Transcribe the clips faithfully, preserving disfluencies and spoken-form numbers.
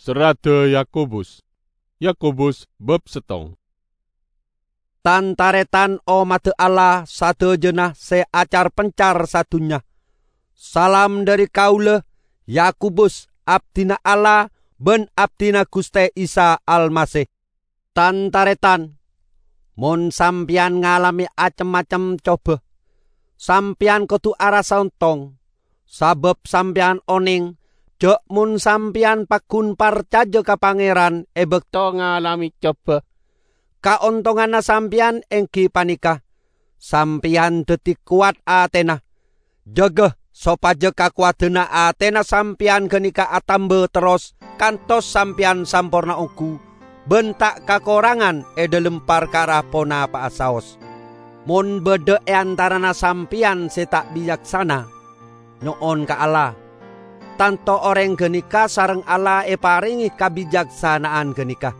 Serradda Yakobus. Yakobus bab settong. Tan-taretan ommadda Allah sadhâjâna sè acar-pencar sadhunnya. Salam dhâri kaulâ, Yakobus, abdhina Allah bân abdhina Ghustè Isa Almasih. Tan-taretan, mon sampèyan ngalamè cem-macem coba, sampèyan kodhu arassa ontong, sabâb sampèyan onèng jhâ' mon sampèyan paggun parcajâ ka Pangèran è bâkto ngalamè coba, kaontonganna sampèyan èngghi panèka, sampèyan dhâddhi kowat atèna. Jâgâ sopajâ kakowadhânna atèna sampèyan ghânèka atamba terros kantos sampèyan samporna ongghu, bân ta' kakorangan è dhâlem parkara ponapa'a saos. Mon bâdâ è antarana sampèyan sè ta' bicaksana, nyo'on ka Allah. Tanto orèng ghânèka sareng Allah èparèngè kabicaksana'an ghânèka.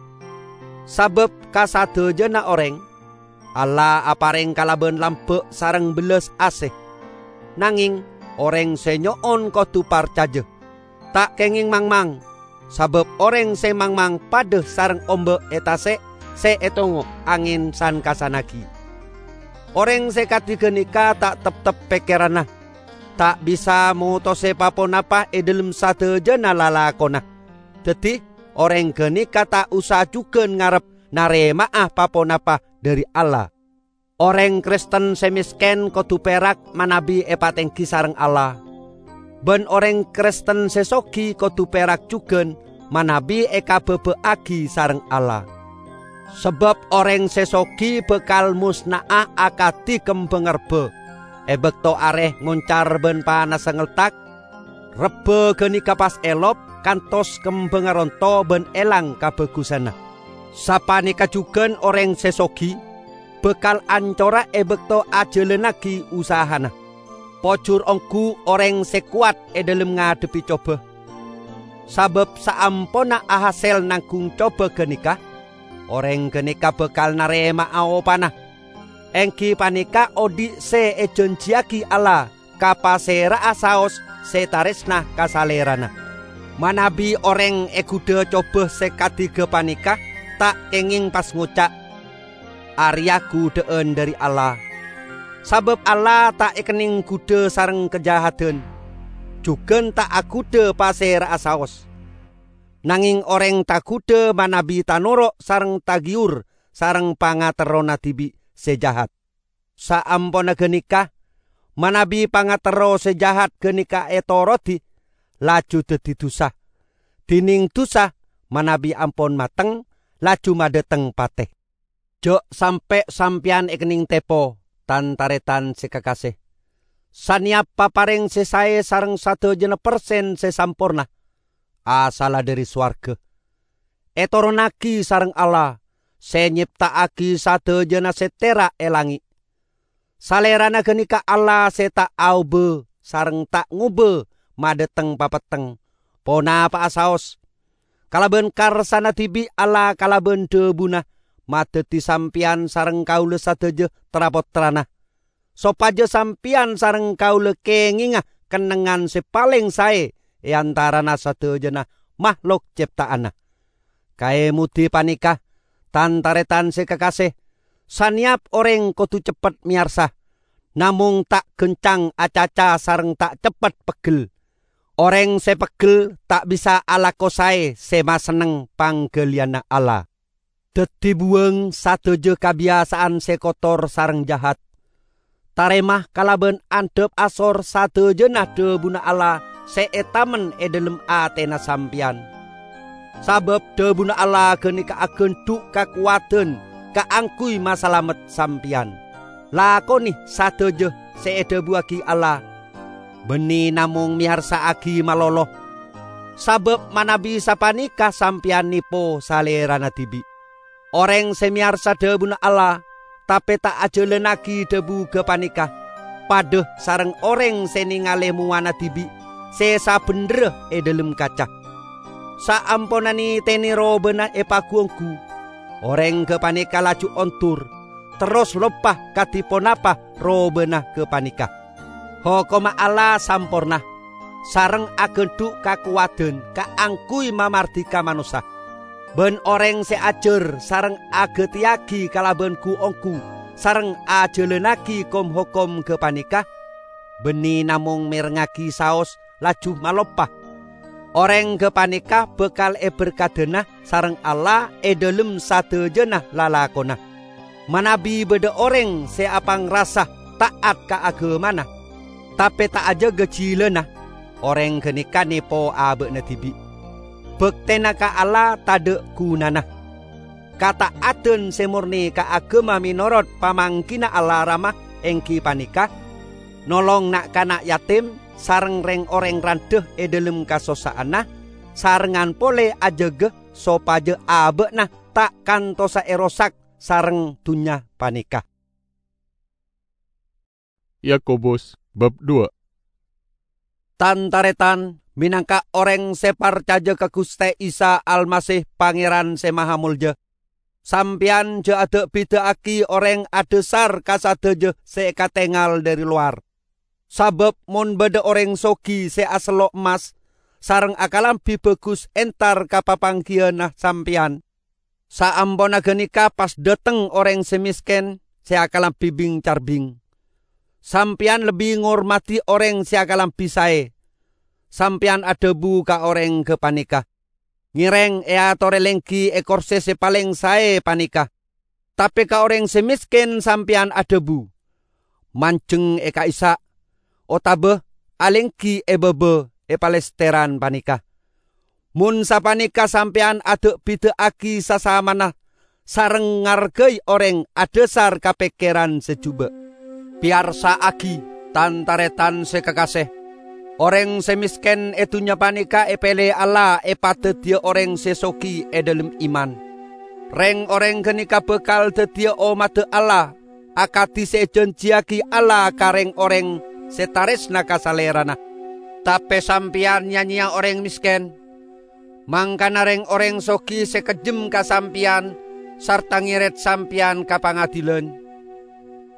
Sabâb ka sadhâjâna orèng, Allah aparèng kalabân lambâ' sareng bellas asè. Nangèng orèng sè nyo'on kodhu parcajâ, ta' kèngèng mangmang, sabâb orèng sè mangmang padâ sareng ombâ' è tasè' sè ètongo' angèn san-kassannaghi. Orèng sè kadhi ghânèka ta' teptep pèkkèranna, ta' bisa motosè pa-ponapa è dhâlem sadhâjâna lalakonna. Dhâddhi, orèng ghânèka ta' osa jhughân ngarep narèma'a pa-ponapa dhâri Allah. Orèng Kristen sè mèskèn kodhu pèrak manabi èpatèngghi sareng Allah, bân orèng Kristen sè soghi kodhu pèrak jhughân manabi èkabâbâ'aghi sareng Allah. Sabâb orèng sè soghi bhâkal mosna'a akadhi kembhâng rebbhâ è bâkto arè ngoncar bân panassa ngeltak. Rebbhâ ghânèka pas èlop kantos kembhângnga ronto bân èlang kabhâghusânna. Sapanèka jhughân orèng sè soghi bhâkal ancora è bâkto ajhâlânnaghi usahana. Pojhur ongghu orèng sè kowat è dhâlem ngadhebbhi coba. Sabâb saamponna ahasèl nangghung coba ghânèka, orèng ghânèka bhâkal narèma'a opana, èngghi panèka odhi' sè èjhânjhiyaghi Allah ka pasèra'a saos sè tarèsna ka salèrana. Manabi orèng èghudhâ coba sè kadhi ghâpanèka, ta' kèngèng pas ngoca', "Arèya ghudhâ'ân dhâri Allah." Sabâb Allah ta' èkennèng ghudhâ sareng kajahadan, jhughân ta' aghudhâ pasèra'a saos. Nangèng orèng taghudhâ manabi tanoro' sareng taghiyur sareng pangaterrona dhibi' sè jahat. Saamponna ghânèka, manabi pangaterro sè jahat ghânèka ètorodhi, laju dhâddhi dhusa. Dhinèng dhusa, manabi ampon mateng, laju madhâteng patè. Jhâ' sampè' sampèyan èkennèng tèpo, tan-tarètan sè kakasè. Sanèyap paparèng sè saè sareng sadhâjâna persen sè samporna, asalla dhâri sowarghâ. Ètoronnaghi sareng Allah, sè nyepta'aghi sadhâjâna sè tèra' è langngè'. Salèrana ghânèka Allah sè ta' aobâ sareng ta' ngobâ madhâteng papetteng, ponapa'a saos. Kalabân karsana dhibi' Allah kalabân dhâbuna madhâddhi sampèyan sareng kaulâ sadhâjâ tra-pottrana, sopajâ sampèyan sareng kaulâ kèngènga kennengngan sè palèng saè è antarana sadhâjâna mahlok cèpta'anna. Kaèmodhi panèka, tan-tarètan sè kakasè, sanèyap orèng kodhu ceppet mèyarsa, namong ta' ghâncang acaca sareng ta' ceppet peggel. Orèng sè peggel ta' bisa alako saè sè masenneng pangghâliyânna Allah. Dhâddhi buwâng sadhâjâ kabiyasa'an sè kotor sareng jahat. Tarèma kalabân andhâp asor sadhâjâna dhâbuna Allah sè ètamen è dhâlem atèna sampèyan. Sabâb dhâbuna Allah ghânèka aghândhu' kakowadhân kaangghuy masalamet sampèyan. Lakonè sadhâjâ sè èdhâbuwaghi Allah, bânnè namong mèyarsa'aghi malolo, sabâb manabi sapanèka sampèyan nèpo salèrana dhibi'. Orèng sè mèyarsa dhâbuna Allah, tapè ta' ajhâlânnaghi dhâbu ghâpanèka, padâ sareng orèng sè nèngalè mowana dhibi' sè sabhendherra è dhâlem kaca. Saamponna nètènè robâna èpagu-ongghu, orèng ghâpanèka laju ondur, terros loppa kadhi ponapa robâna ghâpanèka. Hokomma Allah samporna, sareng agandhu' kakowadhân kaangguy mamardhika manossa. Bân orèng sè ajhâr sareng aghâtèyaghi kalabân ghu-ongghu sareng ajhâlânnaghi kom-hokom ghâpanèka, bânnè namong mèrengngaghi saos laju maloppa. Orèng ghâpanèka bhâkal èberkadhâna sareng Allah è dhâlem sadhâjâna lalakonna. Manabi bâdâ orèng sè apangrasa ta'at ka aghâmana, tapè ta' ajâgâ jhilâna, orèng ghânèka nèpo abâ'na dhibi'. Bhâktèna ka Allah tadâ' ghunana. Kata'adan sè mornè ka aghâma mènorot pamangghina Allah Rama èngghi panèka, nolong na'-kana' yatim sareng rèng-orèng randhâ è dhâlem kasossa'anna, sarengngan polè ajâgâ sopajâ abâ'na ta' kantosa èrosak sareng dhunnya panèka. Yakobus bab dua. Tan-tarètan, mènangka orèng sè parcajâ ka Ghustè Isa Almasih Pangèran Sè Mahamolja, sampèyan jhâ' ada'-bida'aghi orèng adhâsar ka sadhâjâ sè èkatèngal dhâri lowar. Sabâb mon bâdâ orèng soghi sè asello' emmas sareng akalambhi bhâghus entar ka papangghiyânna sampèyan, saamponna ghânèka pas dâteng orèng sè mèskèn sè akalambhi bing-carbing. Sampèyan lebbi ngormadhi orèng sè akalambhi saè. Sampèyan adhâbu ka orèng ghâpanèka, "Ngèrèng èatorè lèngghi è korsè sè palèng saè panèka." Tapè ka orèng sè mèskèn sampèyan adhâbu, "Manjheng è ka'issa'," otabâ "Alèngghi è bâbâ è palèstèran panèka." Mon sapanèka sampèyan ada'-bida'aghi sasamana sareng ngargai orèng adhâsar ka pèkkèran sè jhubâ'. Pèyarsa'aghi, tan-tarètan sè kakasè, orèng sè mèskèn è dhunnya panèka èpèlè Allah èpadhâddhiyâ orèng sè soghi è dhâlem iman. Rèng-orèng ghânèka bhâkal dhâddhiyâ ommaddhâ Allah, akadhi sè èjhânjhiyaghi Allah ka rèng-orèng sè tarèsna ka Salèrana. Tapè sampèyan ya-nyèya orèng mèskèn, mangkana rèng-orèng soghi sè kejjhem ka sampèyan sarta ngèrèt sampèyan ka pangadhilan.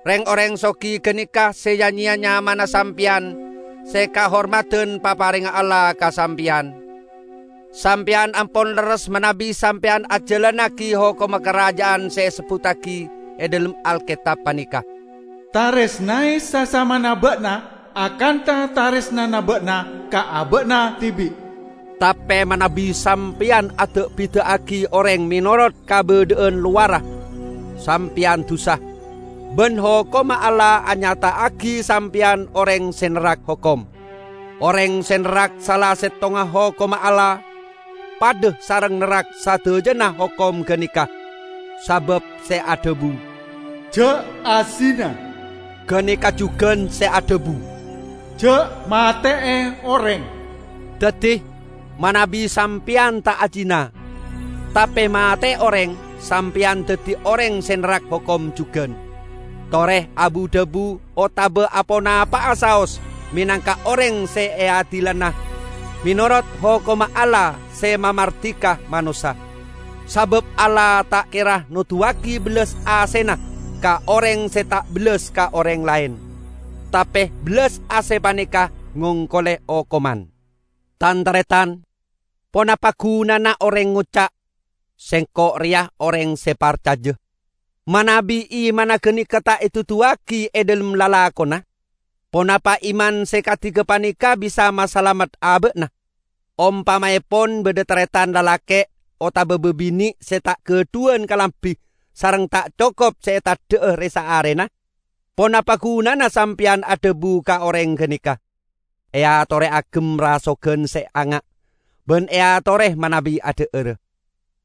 Rèng-orèng soghi ghânèka sè ya-nyèya nyamana sampèyan sè kahormadhân paparèngnga Allah ka sampèyan. Sampèyan ampon lerres manabi sampèyan ajhâlannaghi hokomma karaja'an sè èsebbhuttaghi è dhâlem Alkètab panèka, "Tarèsnaè sasamana bâ'na akantha tarèsnana bâ'na ka abâ'na dhibi'." Tapè manabi sampèyan ada'-bida'aghi orèng mènorot kabâdâ'ân lowarra, sampèyan dusa, bân hokomma Allah anyata'aghi sampèyan orèng sè nerrak hokom. Orèng sè nerrak sala settonga hokomma Allah, padâ sareng nerrak sadhâjâna hokom ghânèka, sabâb sè adhâbu, "Jhâ' azina," ghânèka jhughân sè adhâbu, "Jhâ' matè'è orèng." Dhâddhi, manabi sampèyan ta' azina, tapè matè'è orèng, sampèyan dhâddhi orèng sè nerrak hokom jhughân. Torè abu-dhâbu otabâ aponapa'a saos mènangka orèng sè èadilana mènorot hokomma Allah sè mamardhika manossa. Sabâb Allah ta' kèra noduwâghi bellas asèna ka orèng sè ta' bellas ka orèng laèn, tapè bellas asè panèka ngongkolè okoman. Tan-tarètan, ponapa ghunana orèng ngoca', "Sèngko' rèya orèng sè parcajâ," manabi imanna ghânèka ta' èduduwâghi è dhâlem lalakonna? Ponapa iman sè kadhi ghâpanèka bisa masalamet abâ'na? Ompamaèpon bâdâ tarètan lalakè' otabâ bâbinè' sè ta' ghâdhuwân kalambhi sareng ta' cokop sè ètadhâ'â rè-saarèna, ponapa ghunana sampèyan adhâbu ka orèng ghânèka, "Èatorè aghem rasoghân sè anga'," bân èatorè manabi adhâ'ârâ?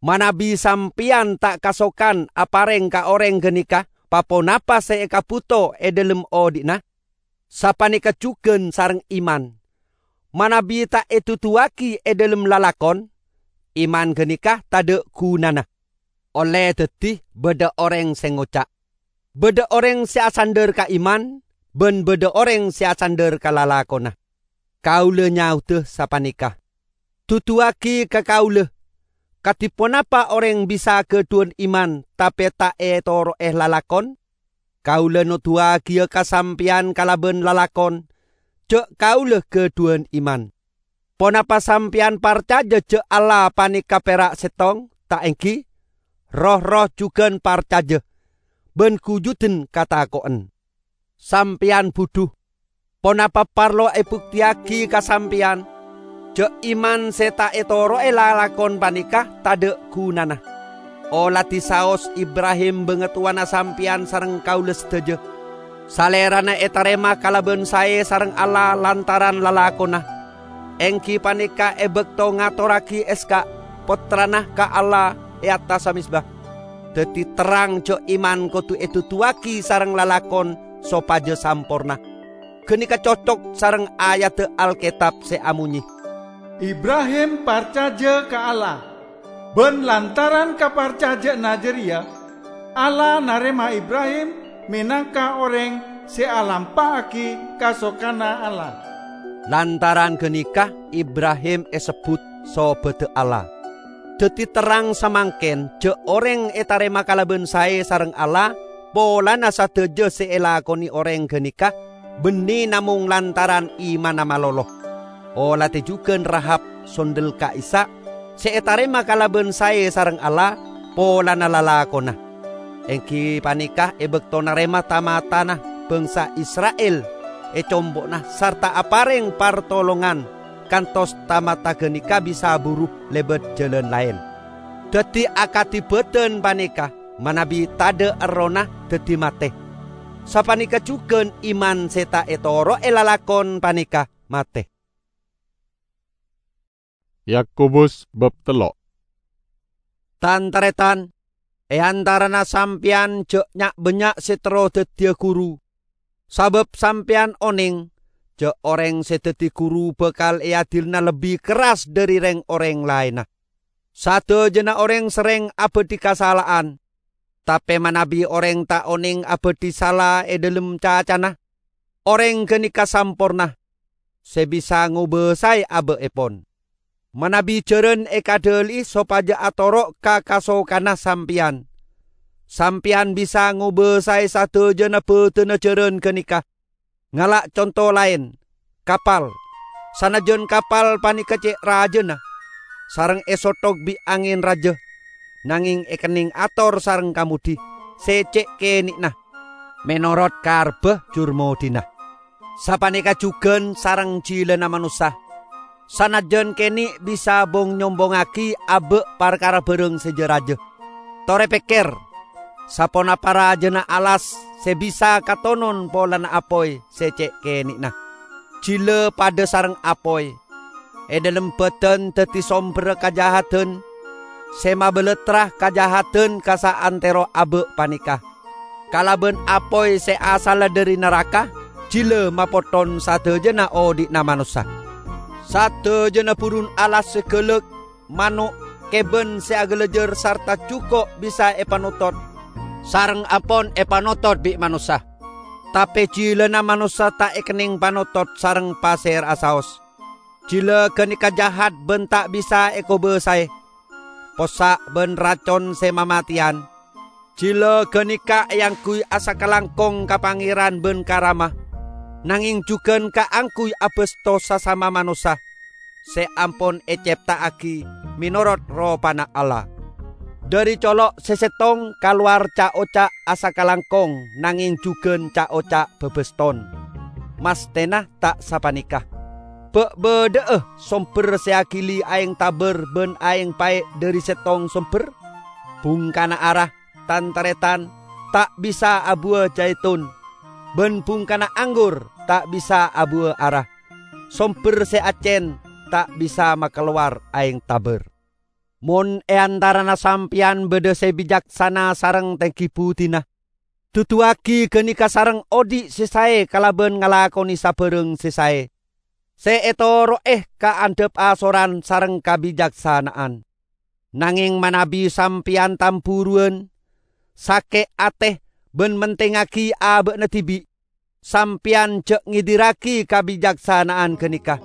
Manabi sampèyan ta' kasokan aparèng ka orèng ghânèka pa-ponapa sè èkabhuto è dhâlem odhi'na, sapanèka jhughân sareng iman. Manabi ta' èduduwâghi è dhâlem lalakon, iman ghânèka tadhâ' ghunana. Ollè dhâddhi bâdâ orèng sè ngoca', "Bâdâ orèng sè asandhâr ka iman, bân bâdâ orèng sè asandhâr ka lalakonna." Kaulâ nyaodâ sapanèka, "Duduwâghi ka kaulâ, kadhi ponapa orèng bisa ghâdhuwân iman tapè ta' ètoro'è lalakon?" Kaulâ noduwâghiyâ ka sampèyan kalabân lalakon, jhâ' kaulâ ghâdhuwân iman. Ponapa sampeyan parcaja ja' Allah paneka pera' settong, ta' enggi? Roh-erroh jugan parcaja, ban gujudan katako'en. Sampeyan budhu. Ponapa parlo ebukteyagi ka sampeyan ja' iman se ta' etoro'e lalakon paneka tadha' gunana? Oladi saos Ibrahim bangatowana sampeyan sareng kaula sadaja. Salerana etarema kalaban sae sareng Allah lantaran lalakonna, enggi paneka e bakto ngatorragi Ishak, pottrana, ka Allah e attassa mezba. Daddi terrang ja' iman kodu eduduwagi sareng lalakon sopaja samporna. Ganeka cocok sareng ayadda Alketab se amonye, "Ibrahim parcaja ka Allah, ban lantaran kaparcaja'anna jareya, Allah narema Ibrahim menangka oreng se alampa'agi kasokanna Allah." Lantaran ganeka Ibrahim esebbut sobadda Allah. Daddi terrang samangken ja' oreng etarema kalaban sae sareng Allah polana sadaja se elakone oreng ganeka banne namong lantaran imanna malolo. Oladi jugan Rahab, sondel ka'issa', se etarema kalaban sae sareng Allah polana lalakonna. Enggi paneka e bakto narema ta-matana bangsa Isra'il e compo'na sarta apareng partolongan kantos ta-mata ganeka bisa buru lebat jalan laen. Daddi akadi badan paneka manabi tadha' errohna daddi mate. Sapaneka jugan iman se ta' etoro'e lalakon paneka mate. Yakobus bab tello'. Tan-taretan, e antarana sampeyan ja' nya'-bannya' se terro daddiya guru, sabab sampeyan oneng ja' oreng se daddi guru bakal eadilana lebbi kerras dhari reng-oreng laenna. Sadajana oreng serreng abadhi kasala'an, tape manabi oreng ta' oneng abadhi sala e dhalem cacana, oreng ganeka samporna, se bisa ngobasae aba'epon. Manabi jaran ekadhali'i sopaja atoro' ka kasokanna sampeyan, sampeyan bisa ngobasae sadajana badanna jaran ganeka. Ngala' conto laen, kapal. Sanajjan kapal paneka ce' rajana, sareng esothok bi' angen raja, nangeng ekenneng ator sareng kamodhi se ce' keni'na, menorot karebba jur modhina. Sapaneka jugan sareng jilana manossa. Sanajjan kene' bisa bong-nyombongngagi aba' parkara barang se ja-raja, tore pekker, saponapa rajana alas se bisa katonon polana apoy se ce' keni'na. Jila padha sareng apoy, e dhalem badan daddi somberra kajahadan, se mabalattra kajahadan ka saantero aba' paneka. Kalaban apoy se asalla dhari naraka, jila mapotthon sadajana odhi'na manossa. Sadajana burun alas se galak, mano', keban se agalajar sarta juko' bisa epanotot, sareng ampon epanotot bi' manossa. Tape jilana manossa ta' ekenneng panotot sareng pasera'a saos. Jila ganeka jahat ban ta' bisa ekobasae. Possa' ban racon se mamateyan. Jila ganeka eangguy asakalangkong ka Pangeran ban ka Rama, nangeng jugan kaangguy abasto sasama manossa se ampon ecepta'agi menorot ropana Allah. Dhari colo' se settong kalowar ca'-oca' asakalangkong nangeng jugan ca'-oca' babaston. Mastena ta' sapaneka. Ba' badha'a somber se agili aeng tabar ban aeng pae' dhari settong somber? Bungkana ara, tan-taretan, ta' bisa abuwa jaiton, ban bungkana anggur ta' bisa abuwa ara. Somber se accen ta' bisa makalowar aeng tabar. Mon e antarana sampeyan badha se bicaksana sareng tenggi budina, duduwagi ganeka sareng odhi' se sae kalaban ngalakone sabarang se sae. Se etoro'e kaandhap asoran sareng kabicaksana'an. Nangeng manabi sampeyan tamburuwan, sake' ate, ban mentengngagi aba'na dibi', sampeyan ja' ngedirragi kabicaksana'an ganeka.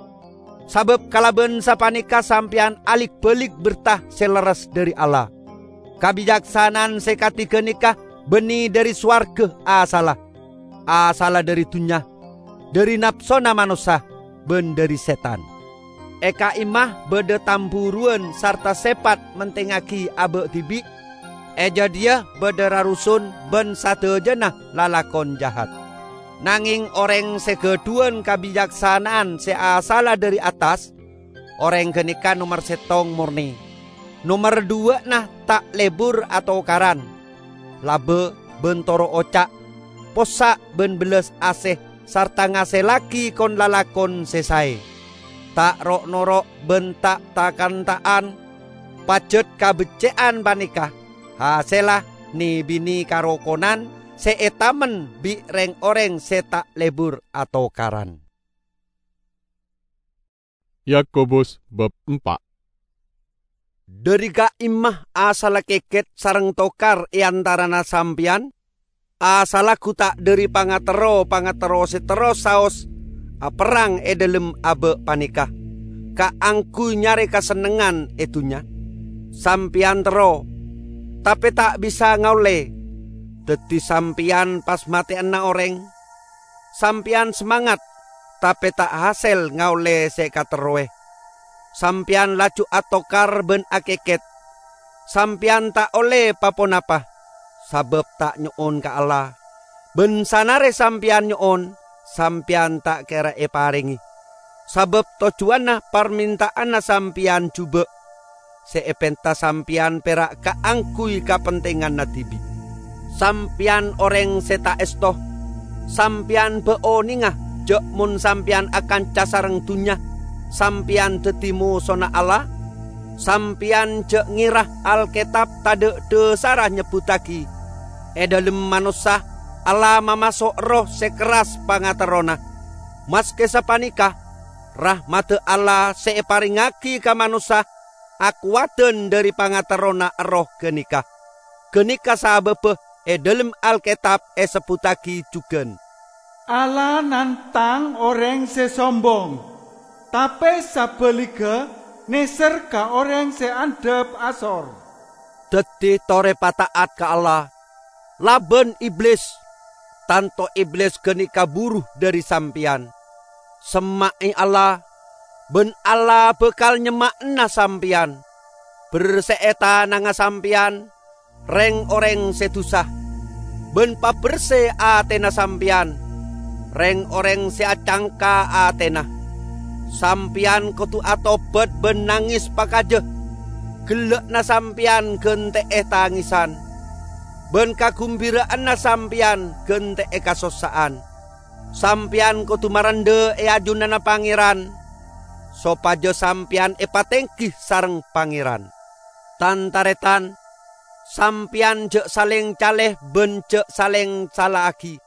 Sabab kalaban sapaneka sampeyan alik-balik berta se lerres dhari Allah. Kabicaksana'an se kadi ganeka banne dhari sowarga asalla. Asalla dhari dunnya, dhari napsona manossa, ban dhari setan. E ka'imma badha tamburuwan sarta sèpat mentengngagi abâ' dhibi'. E jâdiyâ badha rarusun bân sadhâjâna lalakon jahat. Nangèng orèng sè ghâdhuwân kabiyaksana'an sè asalla dhâri attas, orèng ghânèka nomer sèttong mornè. Nomer duwâ'na ta' lebur atokaran. Labâ bân toro' oca', possa' bân bellas asè, sarta ngasèllaghi kon-lalakon sè saè. Ta' ro'-noro' bân ta' ta-kanta'an, pajhât kabeccè'an panèka hasèlla nè-binè karokonan sè ètamen bi' rèng-orèng sè ta' lebur atokaran. Yakobus bab empa'. Dhâri ka'imma asalla kèkèt sareng tokar è antarana sampèyan? Asalla ghu ta' dhâri pangaterro-pangaterro sè terros saos aperrang è dhâlem abâ' panèka, kaangghuy nyarè kasennengngan è dhunnya? Sampèyan terro, tapè ta' bisa ngaollè. Dhâddhi sampèyan pas matè'ana orèng. Sampèyan samangat, tapè ta' hasèl ngaollè sè èkaterrowè. Sampèyan laju atokar bân akèkèt. Sampèyan ta' ollè pa-ponapa, sabâb ta' nyo'on ka Allah. Bân sanarè sampèyan nyo'on, sampèyan ta' kèra èparèngè. Sabâb tojjhuwânna parmènta'anna sampèyan jhubâ'. Sè èpènta sampèyan pèra' kaangghuy kapentènganna dhibi'. Sampèyan orèng sè ta' èsto. Sampèyan bâ' onènga jâ' mon sampèyan akanca sareng dhunnya, sampèyan dhâddhi mosona Allah? Sampèyan jâ' ngèra Alkètab tadâ' dhâsarra nyebbhuttaghi, è dhâlem manossa Allah mamaso' erroh sè kerras pangaterrona. Maskè sapanèka, rahmadda Allah sè èparèngngaghi ka manossa akowadhân dhâri pangaterrona erroh ghânèka. Ghânèka sabâbbhâ è dhâlem Alkètab èsebbhuttaghi jhughân, "Allah nantang orèng sè sombong, tapè sabhâligghâ nèser ka orèng sè andhâp asor." Dhâddhi torè pata'at ka Allah, labân Iblis. Tanto Iblis ghânèka buru dhâri sampèyan. Semma'è Allah, bân Allah bhâkal nyemma'ana sampèyan. Bersè'è tanangnga sampèyan, rèng-orèng sè dhusa, bân pabersè atèna sampèyan, rèng-orèng sè acangka atèna. Sampèyan kodhu atobhât bân nangès pakajâ. Ghellâ'na sampèyan ghântè'è tangèsan, bân kaghembhira'anna sampèyan ghântè'è kasossa'an. Sampèyan kodhu marendha è ajunanna Pangèran, sopajâ sampèyan èpatèngghi sareng Pangèran. Tan-tarètan, sampèyan jâ' salèng calè bân jâ' salèng sala'aghi.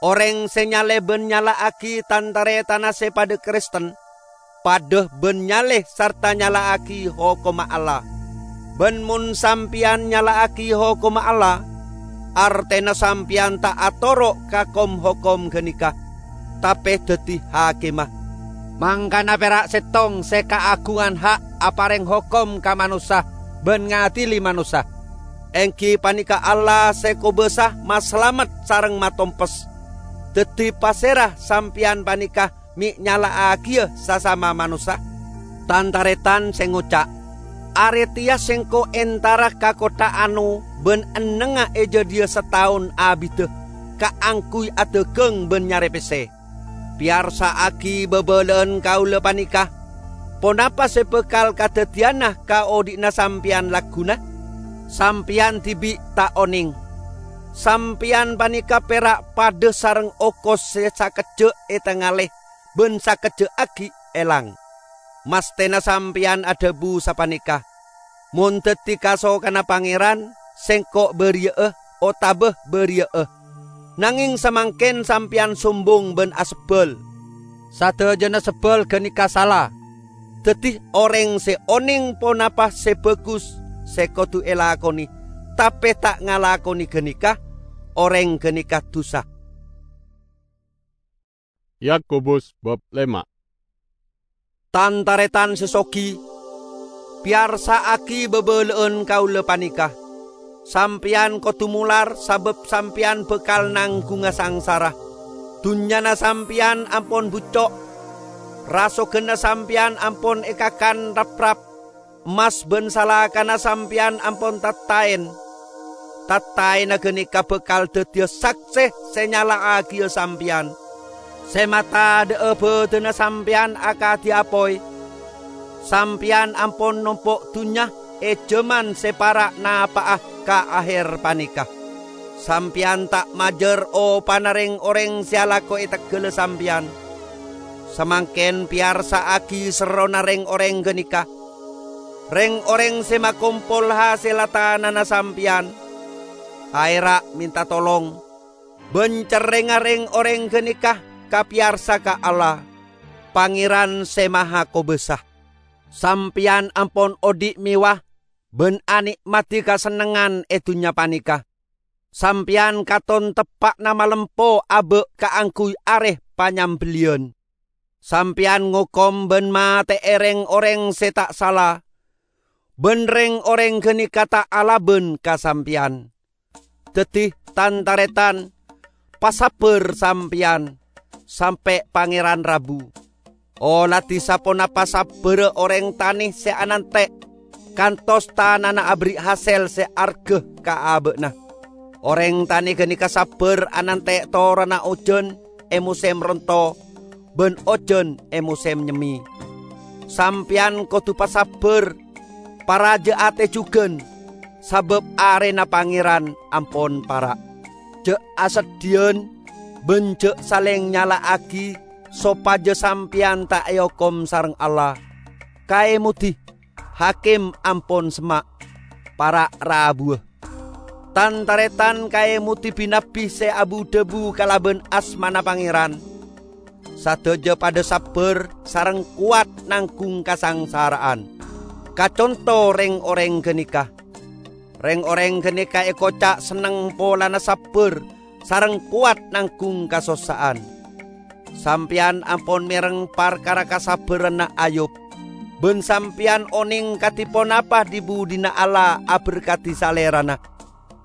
Orèng sè nyalè bân nyala'aghi tan-tarètanna sè padâ Kristen, padâ bân nyalè sarta nyala'aghi hokomma Allah. Bân mon sampèyan nyala'aghi hokomma Allah, artèna sampèyan ta' atoro' ka kom-hokom ghânèka, tapè dhâddhi hakimma. Mangkana pèra' sèttong sè kaaghungan ha' aparèng hokom ka manossa bân ngadili manossa, èngghi panèka Allah sè kobâsa masalamet sareng matompes. Dhâddhi, pasèra sampèyan panèka mè' nyala'aghiyâ sasama manossa? Tan-tarètan sè ngoca', "Arè tèya sèngko' entara ka kottha Ano bân ennengnga è jâdiyâ sataon abiddhâ kaangghuy adhâghâng bân nyarè pèssè." Pèyarsa'aghi bâbâlâ'ân kaulâ panèka. Ponapa sè bhâkal kadhâddhiyânna ka odhi'na sampèyan lagghuna? Sampèyan dhibi' ta' onèng. Sampèyan panèka pèra' padâ sareng okos sè sakejjhâ' ètangalè bân sakejjhâ' aghi' èlang. Masthèna sampèyan adhâbu sapanèka, "Mon dhâddhi kasokanna Pangèran, sèngko' bâriyâ'â otabâ bâriyâ'â." Nangèng samangkèn sampèyan sombong bân asebbhâl. Sadhâjâna sebbhâl ghânèka sala. Dhâddhi, orèng sè onèng ponapa sè bhâghus sè kodhu èlakonè, tapè ta' ngalakonè ghânèka, orèng ghânèka dhusa. Yakobus bab lèma'. Tan-tarètan sè soghi, pèyarsa'aghi bâbâlâ'ân kaulâ panèka. Sampèyan kodhu molar sabâb sampèyan bhâkal nangghunga sangsara. Dhunnyana sampèyan ampon bucco'. Rasoganna sampèyan ampon èkakan rap-rap, emmas bân salakana sampèyan ampon tattaèn. Tattaènna ghânèka bhâkal dhâddhiyâ saksè sè nyala'aghiyâ sampèyan. Sè matadhâ'â bhâdhânna sampèyan akadhi apoy. Sampèyan ampon nompo' dhunnya è jhâman sè para' napa'a ka aher panèka. Sampèyan ta' majâr opana rèng-orèng sè alako è tegghâlla sampèyan. Samangkèn pèyarsa'aghi serrona rèng-orèng ghânèka. Rèng-orèng sè makompol hasèlla tanana sampèyan, aèra' mènta tolong, bân cerrèngnga rèng-orèng ghânèka kapèyarsa ka Allah, Pangèran Sè Mahakobâsa. Sampèyan ampon odi' mèwah bân anè'maddhi kasennengngan è dhunnya panèka. Sampèyan katon teppa'na malempo abâ' kaangghuy arè panyambelliyan. Sampèyan ngokom bân matè'è rèng-orèng sè ta' sala, bân rèng-orèng ghânèka ta' alabân ka sampèyan. Dhâddhi, tan-tarètan, pasabbhâr sampèyan, sampè' Pangèran rabu. Oladhi saponapa sabbhârrâ orèng tanè sè anantè', kantos tanana aberri' hasèl sè arghâ ka abâ'na. Orèng tanè ghânèka sabbhâr anantè' toronna ojhân è mosèm ronto bân ojhân è mosèm nyemmè. Sampèyan kodhu pasabbhâr, parajâ atè jhughân, sabâb arèna Pangèran ampon para'. Jhâ' aseddhiyân bân jhâ' salèng nyala'aghi sopajâ sampèyan ta' èokom sareng Allah. Kaèmodhi, hakim ampon semma', para' rabuwâ. Tan-tarètan, kaèmodhi bi-nabbi sè abu-dhâbu kalabân asmana Pangèran. Sadhâjâ padâ sabbhâr sareng kowat nangghung kasangsara'an. Kaconto rèng-orèng ghânèka. Rèng-orèng ghânèka èkoca' senneng polana sabbhâr sareng kowat nangghung kasossa'an. Sampèyan ampon mèreng parkara kasabbhârânna Ayub, bân sampèyan onèng kadhi ponapa dhi-budhina Allah aberkadhi Salèrana.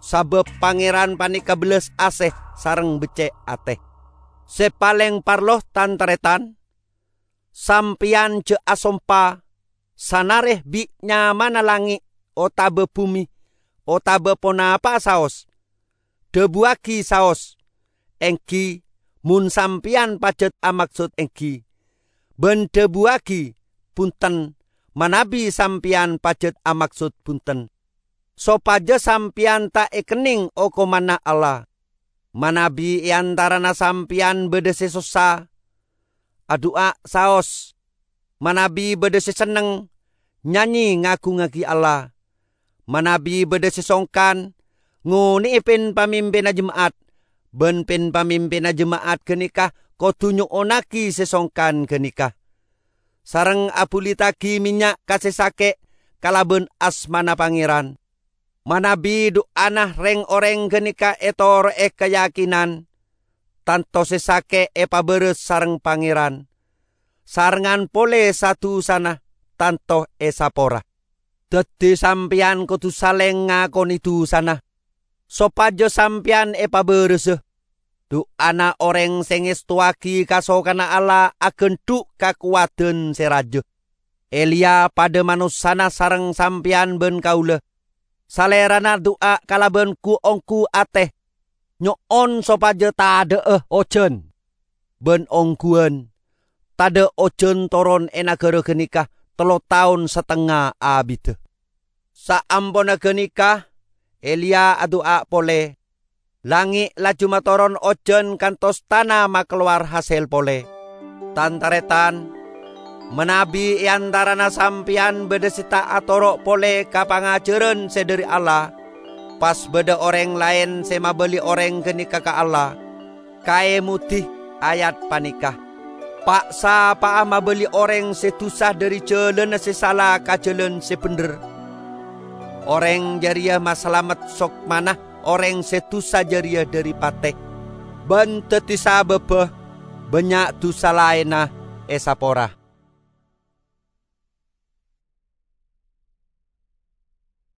Sabâb Pangèran panèka bellas asè sareng beccè' atè. Sè palèng parlo, tan-tarètan, sampèyan jhâ' asompa sanarè bi' nyamana langngè' otabâ bhumè otabâ ponapa'a saos. Dhâbuwâghi saos, "Èngghi," mon sampèyan pajhât amaksod "Èngghi," bân dhâbuwâghi, "Bhunten," manabi sampèyan pajhât amaksod "Bhunten," sopajâ sampèyan ta' èkennèng okomanna Allah. Manabi è antarana sampèyan bâdâ sè sossa, adu'a saos. Manabi bâdâ sè senneng, nyanyè ngagungngaghi Allah. Manabi bâdâ sè songkan, ngonè'è pin-pamimpinna jema'at, bân pin-pamimpinna jema'at ghânèka kodhu nyo'onnaghi sè songkan ghânèka, sareng abhulitaghi mènnya' ka sè sakè' kalabân asmana Pangèran. Manabi du'ana rèng-orèng ghânèka ètoro'è kayakinan, tanto sè sakè' èpabârâs sareng Pangèran, sarengngan polè sa-dusana tanto èsapora. Dhâddhi sampèyan kodhu salèng ngakonè dusana, sopajâ sampèyan èpabârâsa. Du'ana orèng sè ngèstowaghi kasokanna Allah aghândhu' kakowadhân sè rajâ. Eliya padâ manossana sareng sampèyan bân kaulâ. Salèrana du'a kalabân gu-onggu atè, nyo'on sopajâ tadâ'â ojhân. Bân ongghuwân, tadâ' ojhân toron è naghârâ ghânèka tello taon satengnga abiddhâ. Saamponna ghânèka, Eliya adu'a polè. Langngè' laju matoron ojhân kantos tana makalowar hasèl polè. Tan-tarètan, manabi è antarana sampèyan bâdâ sè ta' atoro' polè ka pangajhârân sè dhâri Allah, pas bâdâ orèng laèn sè mabâli orèng ghânèka ka Allah, kaèmodhi ayat panèka, "Pa'-sapa'a mabâli orèng sè dusa dhâri jhâlânna sè sala ka jhâlân sè bhendher, orèng jârèya masalamet sokmana orèng sè dusa jârèya dhâri patè, bân dhâddhi sabâbbhâ bânnya' dusa laènna èsapora."